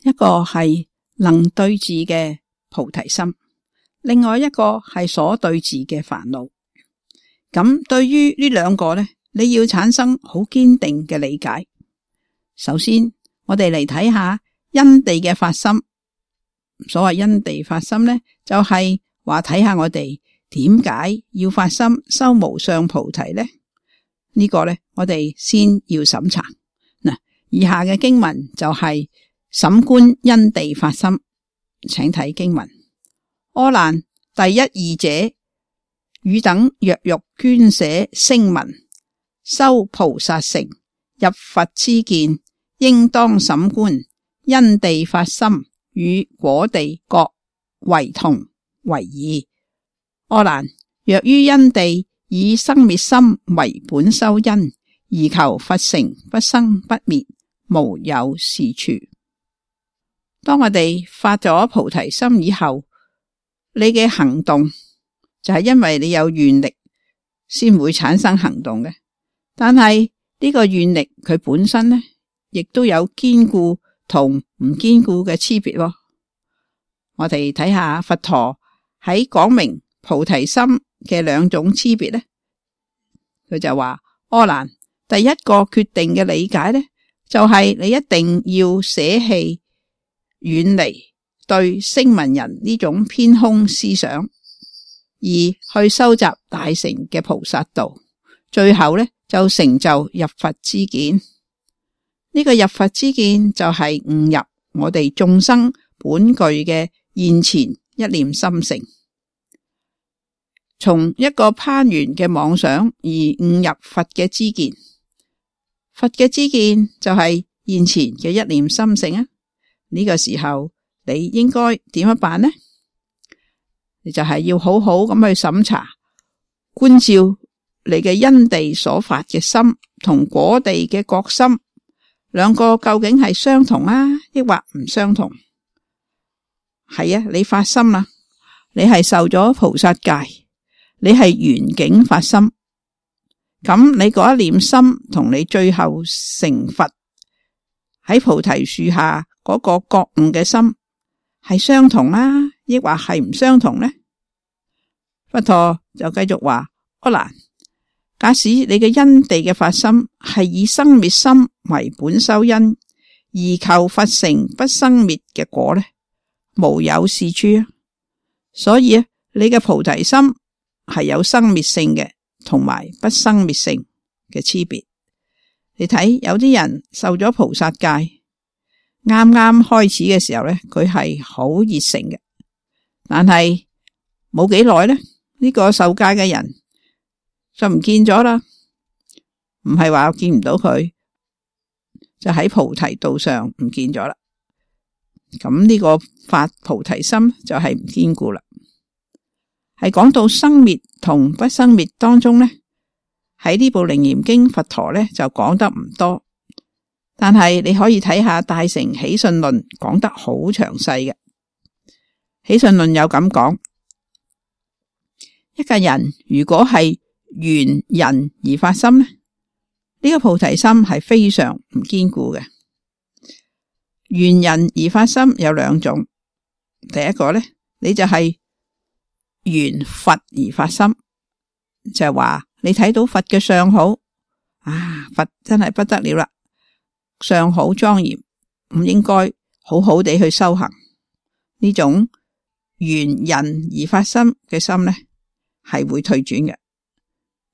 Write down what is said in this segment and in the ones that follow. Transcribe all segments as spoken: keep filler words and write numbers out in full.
一個係能對治嘅菩提心，另外一個係所對治嘅煩惱。咁對於呢兩個呢，你要產生好堅定嘅理解。首先，我哋嚟睇下因地嘅發心。所謂因地發心呢，就係話睇下我哋點解要發心修無上菩提呢？呢個呢，我哋先要審查。嗱，以下嘅經文就係審觀因地發心，請睇經文。阿難，第一義者，汝等若欲捐捨聲聞，修菩薩成，入佛之見，應當審觀因地發心與果地各為同為異。阿難，若於因地以生滅心為本修因，而求佛成不生不滅，無有是處。當我哋發咗菩提心以後，你嘅行動就係因為你有願力先會產生行動嘅。但係呢個願力佢本身呢，亦都有堅固同唔堅固嘅區別。我哋睇下佛陀喺講明菩提心嘅兩種區別呢，佢就話：阿難，第一個決定嘅理解呢，就係你一定要捨棄遠離對聲聞人呢種偏空思想，而去收集大乘嘅菩薩道，最後呢，就成就入佛之見。呢個入佛之見就係悟入我哋眾生本具嘅現前一念心性，從一個攀緣嘅妄想而悟入佛嘅知見。佛嘅知見就係現前嘅一念心性啊！呢個時候你應該點樣辦呢？你就係要好好咁去審查觀照你嘅因地所發嘅心同果地嘅覺心，兩個究竟係相同啊，抑或唔相同？係啊，你發心啦，你係受咗菩薩戒，你係緣境發心，咁你嗰一念心同你最後成佛喺菩提樹下嗰個覺悟嘅心係相同啊，抑或係唔相同呢？佛陀就繼續話：阿難，假使你嘅因地嘅發心係以生滅心為本修因，而求佛成不生滅嘅果呢，無有是處啊！所以啊，你嘅菩提心係有生滅性嘅，同埋不生滅性嘅區別。你睇有啲人受咗菩薩戒，啱啱開始嘅時候咧，佢係好熱誠嘅，但係冇幾耐咧，呢個受戒嘅人就唔見咗啦。唔係話見唔到佢，就喺菩提道上唔見咗啦。咁呢個發菩提心就係唔堅固啦。係講到生滅同不生滅當中呢，喺呢部《楞嚴經》佛陀呢就講得唔多，但係你可以睇下《大乘起信論》講得好詳細嘅。起信論有咁講：一個人如果係緣人而發心呢，呢個菩提心係非常唔堅固嘅。緣人而發心有兩種，第一個呢，你就係緣佛而發心，就係話你睇到佛嘅相好啊，佛真係不得了啦，相好莊嚴，唔應該好好地去修行。呢種緣人而發心嘅心呢，係會退轉嘅，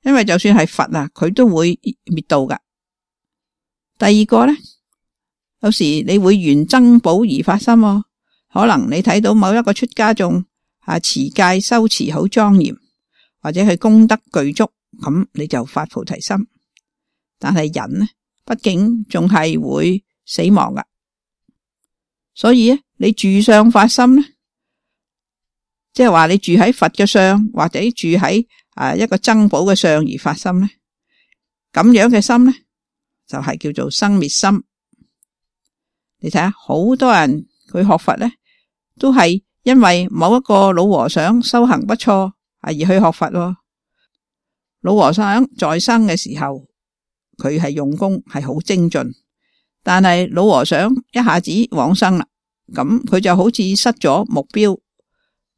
因為就算係佛啊，佢都會滅度噶。第二個呢，有時你會緣僧寶而發心，可能你睇到某一個出家眾啊，持戒修持好莊嚴，或者係功德具足，咁你就發菩提心。但係人呢，畢竟仲係會死亡噶，所以咧，你住相發心呢，即係話你住喺佛嘅相，或者住喺啊一個僧寶嘅相而發心呢，咁樣嘅心呢，就係叫做生滅心。你睇下，好多人佢學佛呢，都係因為某一個老和尚修行不錯而去學佛。老和尚在生嘅時候，佢係用功係好精進，但係老和尚一下子往生啦，咁佢就好似失咗目標，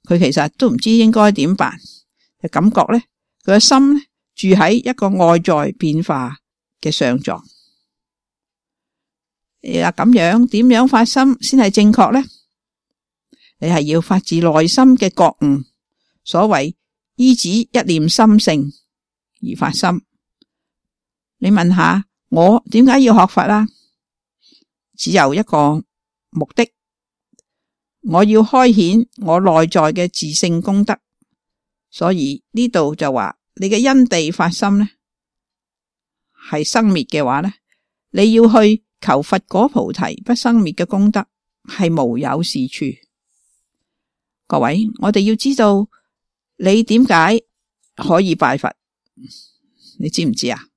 佢其實都唔知應該點辦，就感覺咧佢嘅心咧住喺一個外在變化嘅相狀。嗱，咁樣點樣發心先係正確咧？你係要發自內心嘅覺悟，所謂依止一念心性而發心。你問下我點解要學佛啦？只有一個目的，我要開顯我內在嘅自性功德。所以呢度就話你嘅因地發心呢係生滅嘅話呢，你要去求佛果菩提不生滅嘅功德係無有是處。各位，我哋要知道你點解可以拜佛，你知唔知啊？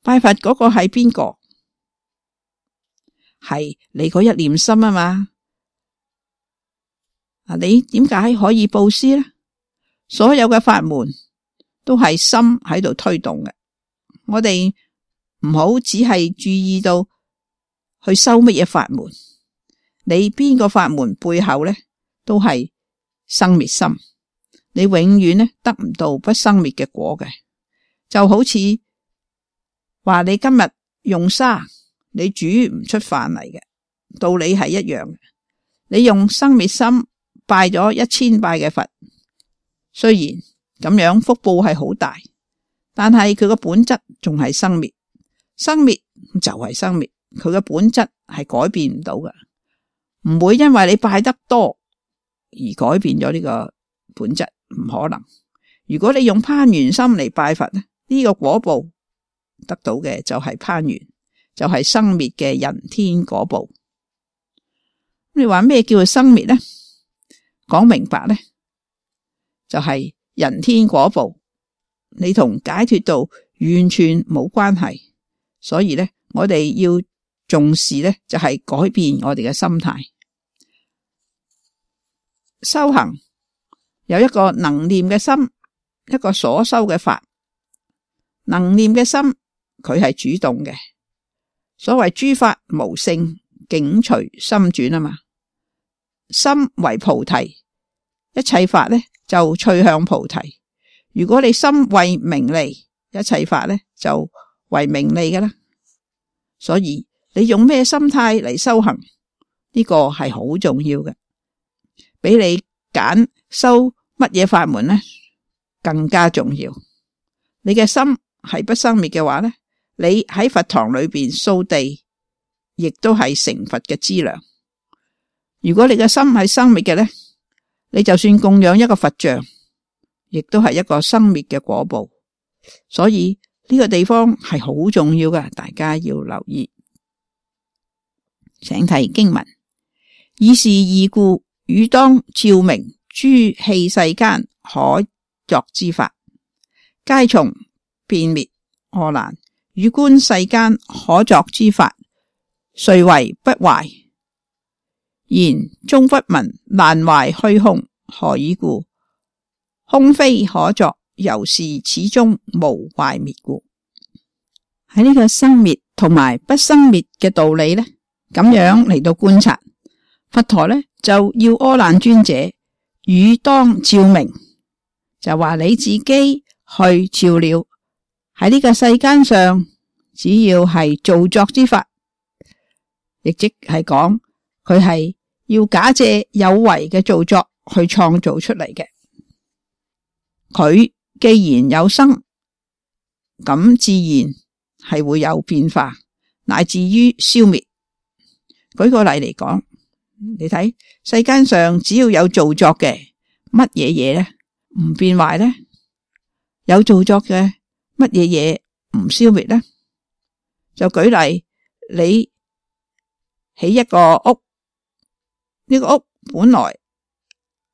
拜佛嗰個係邊個？係你嗰一念心啊嘛。啊，你點解可以布施呢？所有嘅法門都係心喺度推動嘅。我哋唔好只係注意到去修乜嘢法門，你邊個法門背後呢都係生滅心，你永遠呢得唔到不生滅嘅果嘅。就好似話你今日用沙，你煮唔出飯嚟嘅，道理係一樣嘅。你用生滅心拜咗一千拜嘅佛，雖然咁樣福報係好大，但係佢個本質仲係生滅，生滅就係生滅，佢嘅本質係改變唔到嘅，唔會因為你拜得多而改變咗呢個本質，唔可能。如果你用攀緣心嚟拜佛呢，呢個果報得到嘅就係攀緣，就係生滅嘅人天果報。你話咩叫做生滅呢？講明白呢，就係人天果報，你同解脫道完全冇關係。所以呢，我哋要重視呢，就係改變我哋嘅心態。修行有一個能念嘅心，一個所修嘅法。能念嘅心佢係主動嘅，所謂諸法無性，境隨心轉啊嘛。心為菩提，一切法呢就趨向菩提。如果你心為名利，一切法呢就為名利㗎啦。所以你用咩心態嚟修行，呢個係好重要嘅，比你揀修乜嘢法門呢更加重要。你嘅心係不生滅嘅話呢，你喺佛堂裏邊掃地，亦都係成佛嘅資糧。如果你嘅心係生滅嘅呢，你就算供養一個佛像，亦都係一個生滅嘅果報。所以呢個地方係好重要嘅，大家要留意。請睇經文：以是義故，汝當照明諸器世間可作之法，皆從變滅阿難。汝觀世間可作之法，誰為不壞？然終不聞難壞虛空，何以故？空非可作，由是始終無壞滅故。喺呢個生滅同埋不生滅嘅道理呢，咁樣嚟到觀察，佛陀呢就要阿難尊者汝當照明，就話你自己去照料喺呢個世間上，只要係造作之法，亦即係講佢係要假借有為嘅造作去創造出嚟嘅。佢既然有生，咁自然係會有變化，乃至於消滅。舉個例嚟講，你睇世間上只要有造作嘅乜嘢嘢咧，唔變壞咧？有造作嘅乜嘢嘢唔消滅咧？就舉例，你起一個屋，呢個屋本來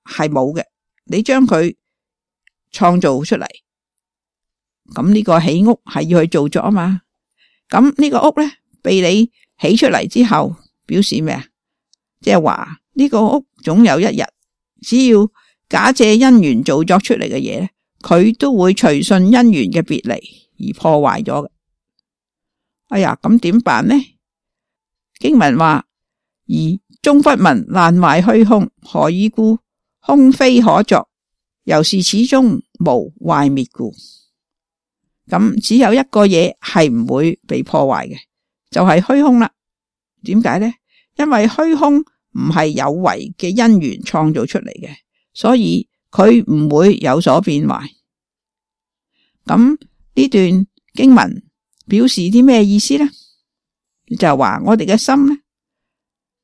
係冇嘅，你將佢創造出嚟，咁呢個起屋係要去造作啊嘛。咁呢個屋咧被你起出嚟之後，表示咩啊？即係話呢個屋總有一日，只要假借因緣造作出嚟嘅嘢咧，佢都會隨順因緣嘅別離而破壞咗嘅。哎呀，咁點辦呢？經文話：而終不聞爛壞虛空，何以故？空非可作，由是始終無壞滅故。咁只有一個嘢係唔會被破壞嘅，就係虛空啦。點解呢？因為虛空唔係有為嘅因緣創造出嚟嘅，所以佢唔會有所變壞。咁呢段經文表示啲咩意思呢？就話我哋嘅心呢，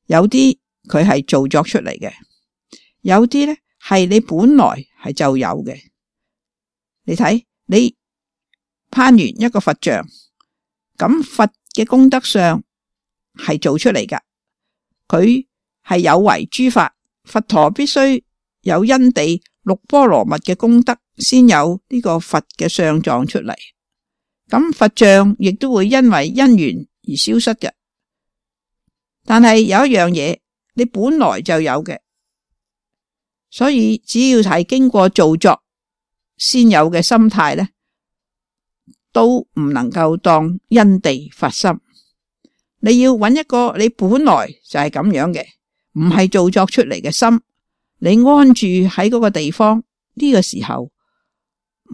有啲佢係造作出嚟嘅，有啲呢係你本來係就有嘅。你睇，你攀完一個佛像，咁佛嘅功德相係做出嚟噶，佢係有為諸法，佛陀必須有因地六波羅蜜嘅功德，先有呢個佛嘅相狀出嚟。咁佛像亦都會因為因緣而消失嘅。但係有一樣嘢，你本來就有嘅，所以只要係經過造作先有嘅心態呢，都唔能夠當因地發心。你要揾一個你本來就係咁樣嘅，唔係造作出嚟嘅心，你安住喺嗰個地方，呢個時候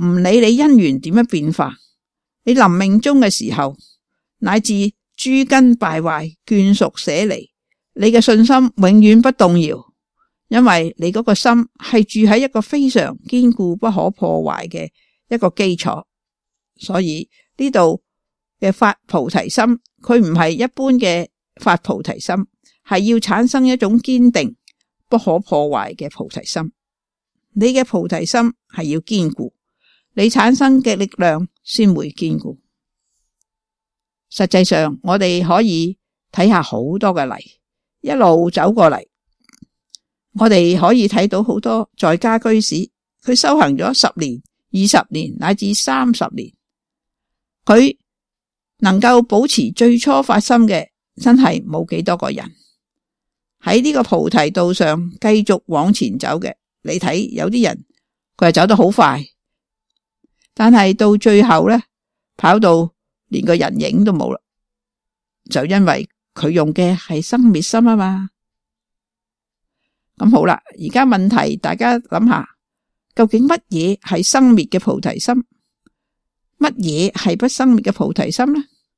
唔理你因緣點樣變化，你臨命終嘅時候，乃至諸根敗壞眷屬捨離，你嘅信心永遠不動搖，因為你嗰個心係住喺一個非常堅固不可破壞嘅一個基礎。所以呢度嘅發菩提心，佢唔係一般嘅發菩提心，係要產生一種堅定不可破壞嘅菩提心。你嘅菩提心係要堅固，你產生嘅力量先會堅固。實際上我哋可以睇下好多嘅例，一路走過嚟，我哋可以睇到好多在家居士，佢修行咗十年、二十年乃至三十年，佢能夠保持最初發心嘅，真係冇幾多個人喺呢個菩提道上繼續往前走嘅。你睇有啲人佢係走得好快，但係到最後呢，跑到連個人影都冇啦，就因為佢用嘅係生滅心啊嘛。咁好啦，而家問題大家諗下，究竟乜嘢係生滅嘅菩提心？乜嘢係不生滅嘅菩提心呢？